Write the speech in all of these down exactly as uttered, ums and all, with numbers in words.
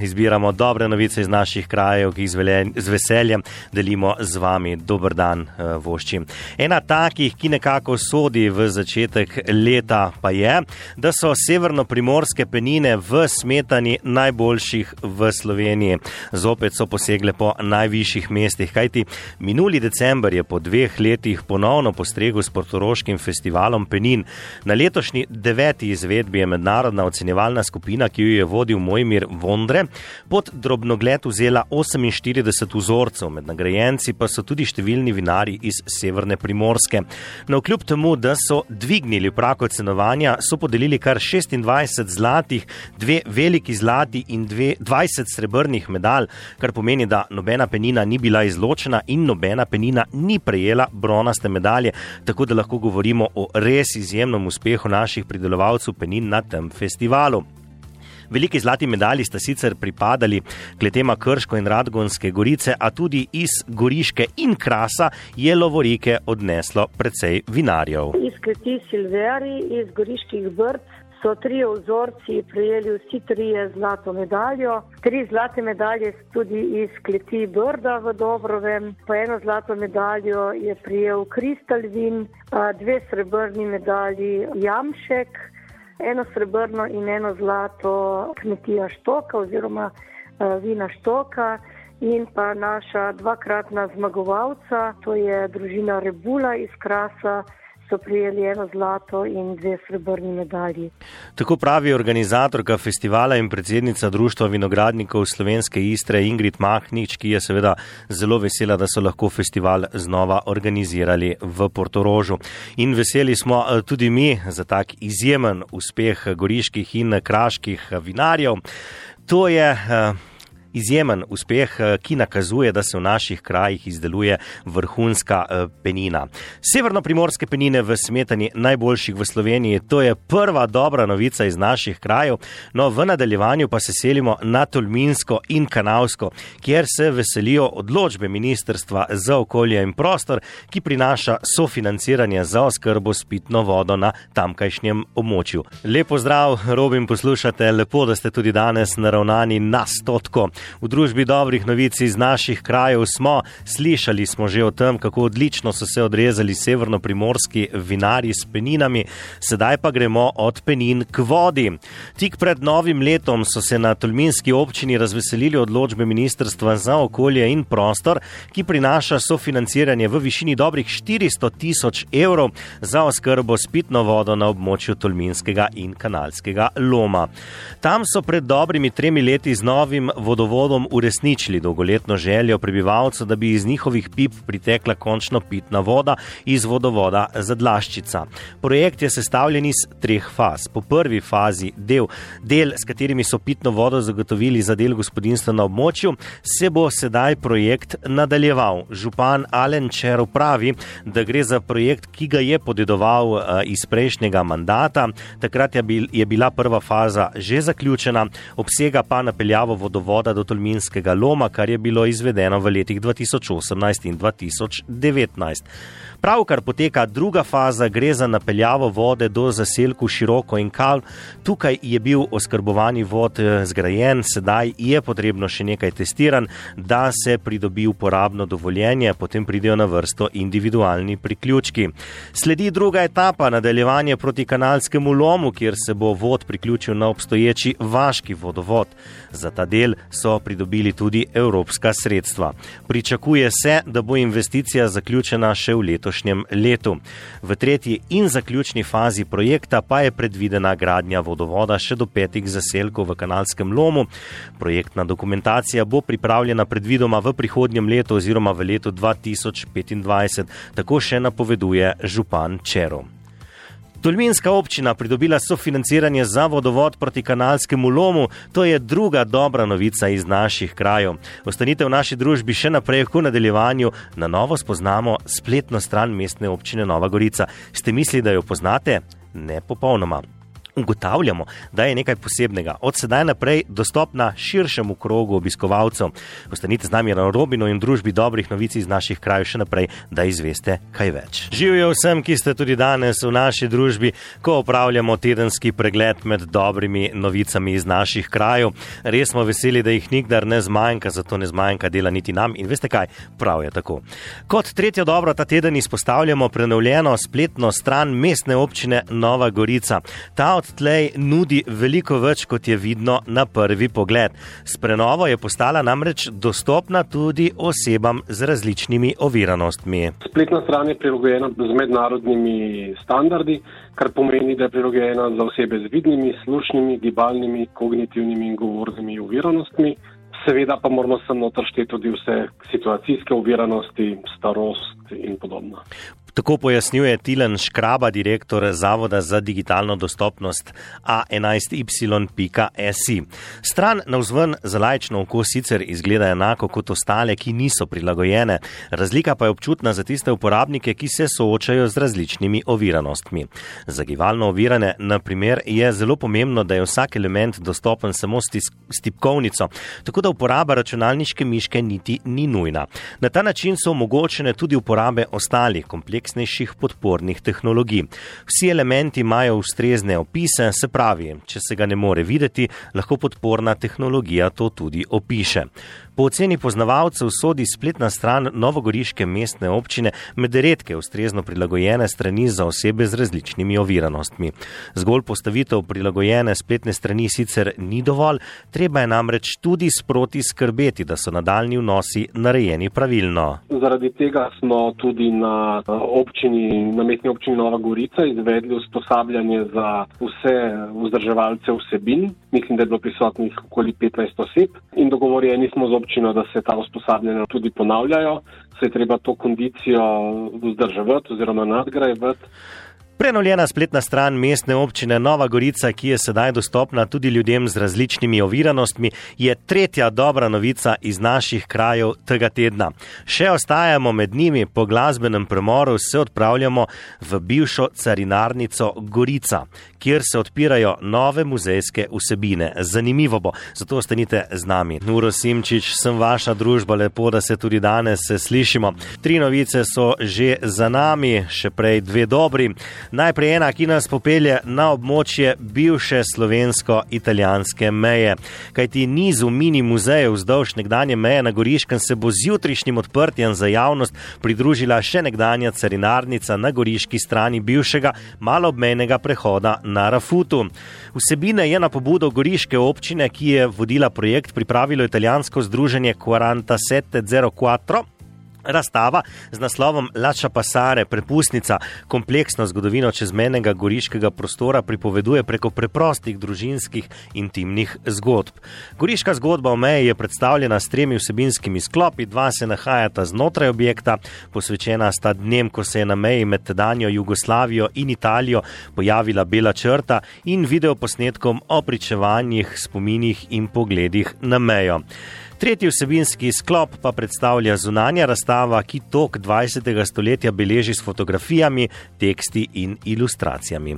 Izbiramo dobre novice iz naših krajev, ki jih z veseljem delimo z vami. Dober dan, vošči. Ena takih, ki nekako sodi v začetek leta, pa je, da so severno-primorske penine v smetani najboljših v Sloveniji. Zopet so posegle po najvišjih mestih, kajti minuli december je po dveh letih ponovno postregel s portoroškim festivalom penin. Na letošnji deveti izvedbi je mednarodna ocenjevalna skupina, ki jo je vodil Mojmir Vondre, pod drobnogled vzela oseminštirideset vzorcev, med nagrajenci pa so tudi številni vinarji iz severne Primorske. Navkljub temu, da so dvignili prag ocenovanja, so podelili kar šestindvajset zlatih, dve veliki zlati in dve, dvajset srebrnih medalj, kar pomeni, da nobena penina ni bila izločena in nobena penina ni prejela bronaste medalje, tako da lahko govorimo o res izjemnem uspehu naših pridelovalcev penin na tem festivalu. Veliki zlati medalji sta sicer pripadali kletema Krško in Radgonske gorice, a tudi iz Goriške in Krasa je lovorike odneslo precej vinarjev. Iz kleti Silveri, iz Goriških Brd so trije vzorci prejeli vsi trije zlato medaljo. Tri zlate medalje tudi iz kleti Brda v Dobrovem, pa eno zlato medaljo je prejel Kristal vin, dve srebrni medalji Jamšek, eno srebrno in eno zlato kmetija Štoka oziroma uh, vina Štoka in pa naša dvakratna zmagovalca, to je družina Rebula iz Krasa, so prijeli eno zlato in dve srebrni medalji. Tako pravi organizatorka festivala in predsednica Društva vinogradnikov Slovenske Istre Ingrid Mahnič, ki je seveda zelo vesela, da so lahko festival znova organizirali v Portorožu. In veseli smo tudi mi za tak izjemen uspeh goriških in kraških vinarjev. To je izjemen uspeh, ki nakazuje, da se v naših krajih izdeluje vrhunska penina. Severno-primorske penine v smetani najboljših v Sloveniji, to je prva dobra novica iz naših krajev, no v nadaljevanju pa se selimo na Tolminsko in Kanalsko, kjer se veselijo odločbe Ministrstva za okolje in prostor, ki prinaša sofinanciranje za oskrbo s pitno vodo na tamkajšnjem območju. Lepo zdrav, Robin, poslušate, lepo, da ste tudi danes naravnani na stotko. V družbi dobrih novic iz naših krajev smo, slišali smo že o tem, kako odlično so se odrezali severno-primorski vinarji s peninami, sedaj pa gremo od penin k vodi. Tik pred novim letom so se na tolminski občini razveselili odločbe Ministrstva za okolje in prostor, ki prinaša sofinanciranje v višini dobrih štiristo tisoč evrov za oskrbo s pitno vodo na območju Tolminskega in Kanalskega loma. Tam so pred dobrimi tremi leti z novim vodovodom uresničili dolgoletno željo prebivalcev, da bi iz njihovih pip pritekla končno pitna voda iz vodovoda Zadlaščica. Projekt je sestavljen iz treh faz. Po prvi fazi del, del, s katerimi so pitno vodo zagotovili za del gospodinjstva na območju, se bo sedaj projekt nadaljeval. Župan Alen Červ pravi, da gre za projekt, ki ga je podedoval uh, iz prejšnjega mandata. Takrat je, bil, je bila prva faza že zaključena, obsega pa napeljavo vodovoda do Tolminskega loma, kar je bilo izvedeno v letih dva tisoč osemnajst in dva tisoč devetnajst. Pravkar poteka druga faza, gre za napeljavo vode do zaselku Široko in Kal. Tukaj je bil oskrbovani vod zgrajen, sedaj je potrebno še nekaj testiran, da se pridobi uporabno dovoljenje, potem pridejo na vrsto individualni priključki. Sledi druga etapa, nadaljevanje proti Kanalskemu lomu, kjer se bo vod priključil na obstoječi vaški vodovod. Za ta del so pridobili tudi evropska sredstva. Pričakuje se, da bo investicija zaključena še v letošnjem letu. V tretji in zaključni fazi projekta pa je predvidena gradnja vodovoda še do petih zaselkov v Kanalskem lomu. Projektna dokumentacija bo pripravljena predvidoma v prihodnjem letu oziroma v letu dva tisoč petindvajset, tako še napoveduje župan Červ. Tolminska občina pridobila sofinanciranje za vodovod proti Kanalskemu lomu, to je druga dobra novica iz naših krajev. Ostanite v naši družbi še naprej, v nadaljevanju na novo spoznamo spletno stran Mestne občine Nova Gorica. Ste mislili, da jo poznate? Ne popolnoma. ugotavljamo, da je nekaj posebnega. Od sedaj naprej dostopna širšemu krogu obiskovalcev. Ostanite z nami na Robinu in družbi dobrih novic iz naših krajev še naprej, da izveste kaj več. Živijo vsem, ki ste tudi danes v naši družbi, ko opravljamo tedenski pregled med dobrimi novicami iz naših krajev. Res smo veseli, da jih nikdar ne zmanjka, zato ne zmanjka dela niti nam in veste kaj, prav je tako. Kot tretjo dobro ta teden izpostavljamo prenovljeno spletno stran Mestne občine Nova Gorica. Ta odtlej nudi veliko več, kot je vidno na prvi pogled. S prenovo je postala namreč dostopna tudi osebam z različnimi oviranostmi. Spletna stran je prilagojena z mednarodnimi standardi, kar pomeni, da je prilagojena za osebe z vidnimi, slušnimi, gibalnimi, kognitivnimi in govornimi oviranostmi. Seveda pa moramo sem noter šteti tudi vse situacijske oviranosti, starost in podobno. Tako pojasnjuje Tilen Škraba, direktor Zavoda za digitalno dostopnost A enajst Y pika S I. Stran navzven za laično oko sicer izgleda enako kot ostale, ki niso prilagojene. Razlika pa je občutna za tiste uporabnike, ki se soočajo z različnimi oviranostmi. Za gibalno ovirane, na primer, je zelo pomembno, da je vsak element dostopen samo s tipkovnico, tako da uporaba računalniške miške niti ni nujna. Na ta način so omogočene tudi uporabe ostalih kompleksnih podpornih tehnologij. Vsi elementi imajo ustrezne opise, se pravi, če se ga ne more videti, lahko podporna tehnologija to tudi opiše. Po oceni poznavalcev sodi spletna stran novogoriške mestne občine med redke ustrezno prilagojene strani za osebe z različnimi oviranostmi. Zgolj postavitev prilagojene spletne strani sicer ni dovolj, treba je namreč tudi sproti skrbeti, da so nadaljnji vnosi narejeni pravilno. Zaradi tega smo tudi na občini, na mestni občini Nova Gorica izvedli usposabljanje za vse vzdrževalce vsebin. Mislim, da je bilo prisotnih okoli petnajst oseb in dogovorjeni smo z občino, da se ta usposabljanja tudi ponavljajo. Se je treba to kondicijo vzdrževati oziroma nadgrajevati. Prenovljena spletna stran Mestne občine Nova Gorica, ki je sedaj dostopna tudi ljudem z različnimi oviranostmi, je tretja dobra novica iz naših krajev tega tedna. Še ostajamo med njimi, po glasbenem premoru se odpravljamo v bivšo carinarnico Gorica, kjer se odpirajo nove muzejske vsebine. Zanimivo bo, zato ostanite z nami. Uro Simčič, sem vaša družba, lepo, da se tudi danes slišimo. Tri novice so že za nami, še prej dve dobri. Najprej ena, ki nas popelje na območje bivše slovensko-italijanske meje. Kajti nizu mini muzejev vzdolž nekdanje meje na Goriškem se bo z jutrišnjim odprtjem za javnost pridružila še nekdanja carinarnica na goriški strani bivšega maloobmejnega prehoda na Rafutu. Vsebine je na pobudo goriške občine, ki je vodila projekt, pripravilo italijansko združenje quarantasette zero quattro. Razstava z naslovom Lascia passare, prepustnica, kompleksno zgodovino čezmejnega goriškega prostora pripoveduje preko preprostih družinskih intimnih zgodb. Goriška zgodba o meji je predstavljena s tremi vsebinskimi sklopi, dva se nahajata znotraj objekta, posvečena sta dnem, ko se je na meji med tedanjo Jugoslavijo in Italijo pojavila bela črta, in videoposnetkom o pričevanjih, spominih in pogledih na mejo. Tretji vsebinski sklop pa predstavlja zunanja razstava, ki tok dvajsetega stoletja beleži s fotografijami, teksti in ilustracijami.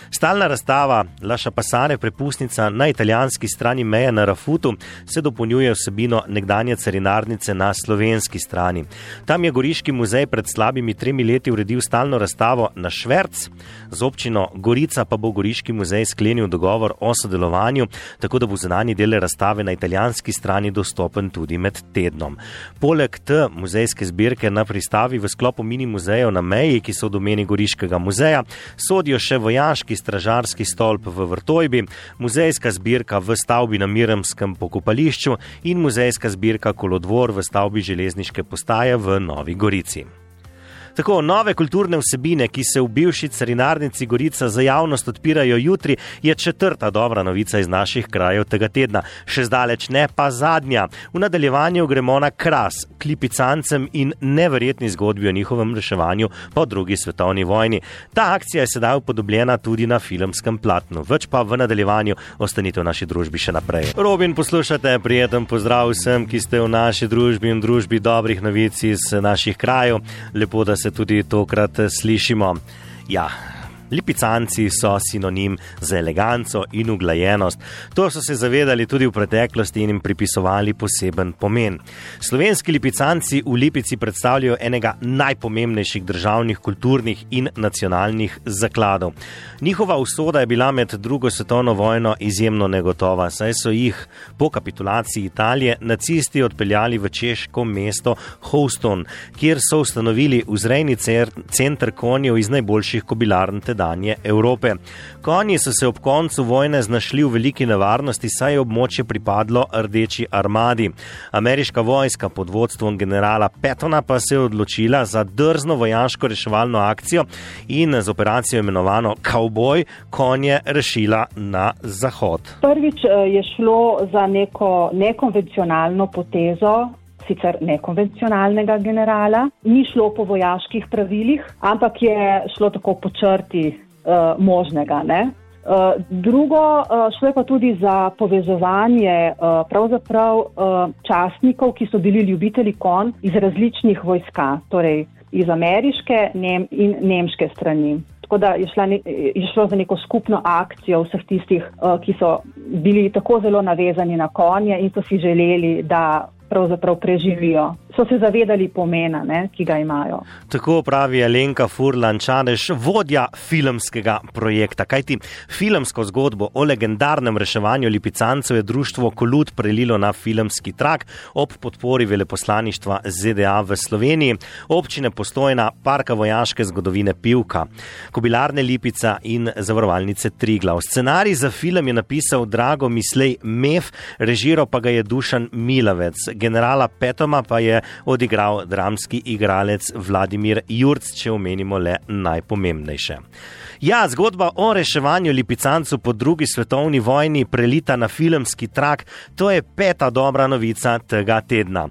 Stalna razstava Lascia passare, prepustnica na italijanski strani meje na Rafutu se dopolnjuje vsebino nekdanje carinarnice na slovenski strani. Tam je Goriški muzej pred slabimi tremi leti uredil stalno razstavo na šverc, z občino Gorica pa bo Goriški muzej sklenil dogovor o sodelovanju, tako da bo zunanji del razstave na italijanski strani dostopen tudi med tednom. Poleg te muzejske zbirke na pristavi v sklopu mini muzejev na meji, ki so v domeni Goriškega muzeja, sodijo še vojaški stražarski stolp v Vrtojbi, muzejska zbirka v stavbi na Miremskem pokopališču in muzejska zbirka Kolodvor v stavbi železniške postaje v Novi Gorici. Tako, nove kulturne vsebine, ki se v bivši carinarnici Gorica za javnost odpirajo jutri, je četrta dobra novica iz naših krajev tega tedna. Še zdaleč ne pa zadnja. V nadaljevanju gremo na Kras, k lipicancem in neverjetni zgodbi o njihovem reševanju po drugi svetovni vojni. Ta akcija je sedaj upodobljena tudi na filmskem platnu. Več pa v nadaljevanju, ostanite v naši družbi še naprej. Robin, poslušate, prijeten pozdrav vsem, ki ste v naši družbi in družbi dobrih novic iz naših krajev. Lepo, da se tudi tokrat slišimo. Ja, Lipicanci so sinonim za eleganco in uglajenost. To so se zavedali tudi v preteklosti in jim pripisovali poseben pomen. Slovenski lipicanci v Lipici predstavljajo enega najpomembnejših državnih, kulturnih in nacionalnih zakladov. Njihova usoda je bila med drugo svetovno vojno izjemno negotova, saj so jih po kapitulaciji Italije nacisti odpeljali v češko mesto Houston, kjer so ustanovili vzrejni center konjev iz najboljših kobilarn tedanje Evrope. Konji so se ob koncu vojne znašli v veliki nevarnosti, saj je območje pripadlo Rdeči armadi. Ameriška vojska pod vodstvom generala Pattona pa se je odločila za drzno vojaško reševalno akcijo in z operacijo imenovano Cowboy konje rešila na zahod. Prvič je šlo za neko nekonvencionalno potezo, sicer nekonvencionalnega generala. Ni šlo po vojaških pravilih, ampak je šlo tako po črti uh, možnega, ne? Uh, drugo, uh, šlo je pa tudi za povezovanje uh, pravzaprav uh, častnikov, ki so bili ljubitelji konj iz različnih vojska, torej iz ameriške nem- in nemške strani. Tako da je, šla ne, je šlo za neko skupno akcijo vseh tistih, uh, ki so bili tako zelo navezani na konje in so si želeli, da pravzaprav preživijo. So se zavedali pomena, ne, ki ga imajo. Tako pravi Alenka Furlan-Čadež, vodja filmskega projekta. Kajti filmsko zgodbo o legendarnem reševanju lipicancev je društvo Kolut prelilo na filmski trak ob podpori veleposlaništva Z D A v Sloveniji, občine Postojna, Parka vojaške zgodovine Pivka, Kobilarne Lipica in Zavarovalnice Triglav. Scenarij za film je napisal Drago Mislej Mef, režiral pa ga je Dušan Milavec. Generala Petoma pa je odigral dramski igralec Vladimir Jurc, če omenimo le najpomembnejše. Ja, zgodba o reševanju lipicancev po drugi svetovni vojni prelita na filmski trak, to je peta dobra novica tega tedna.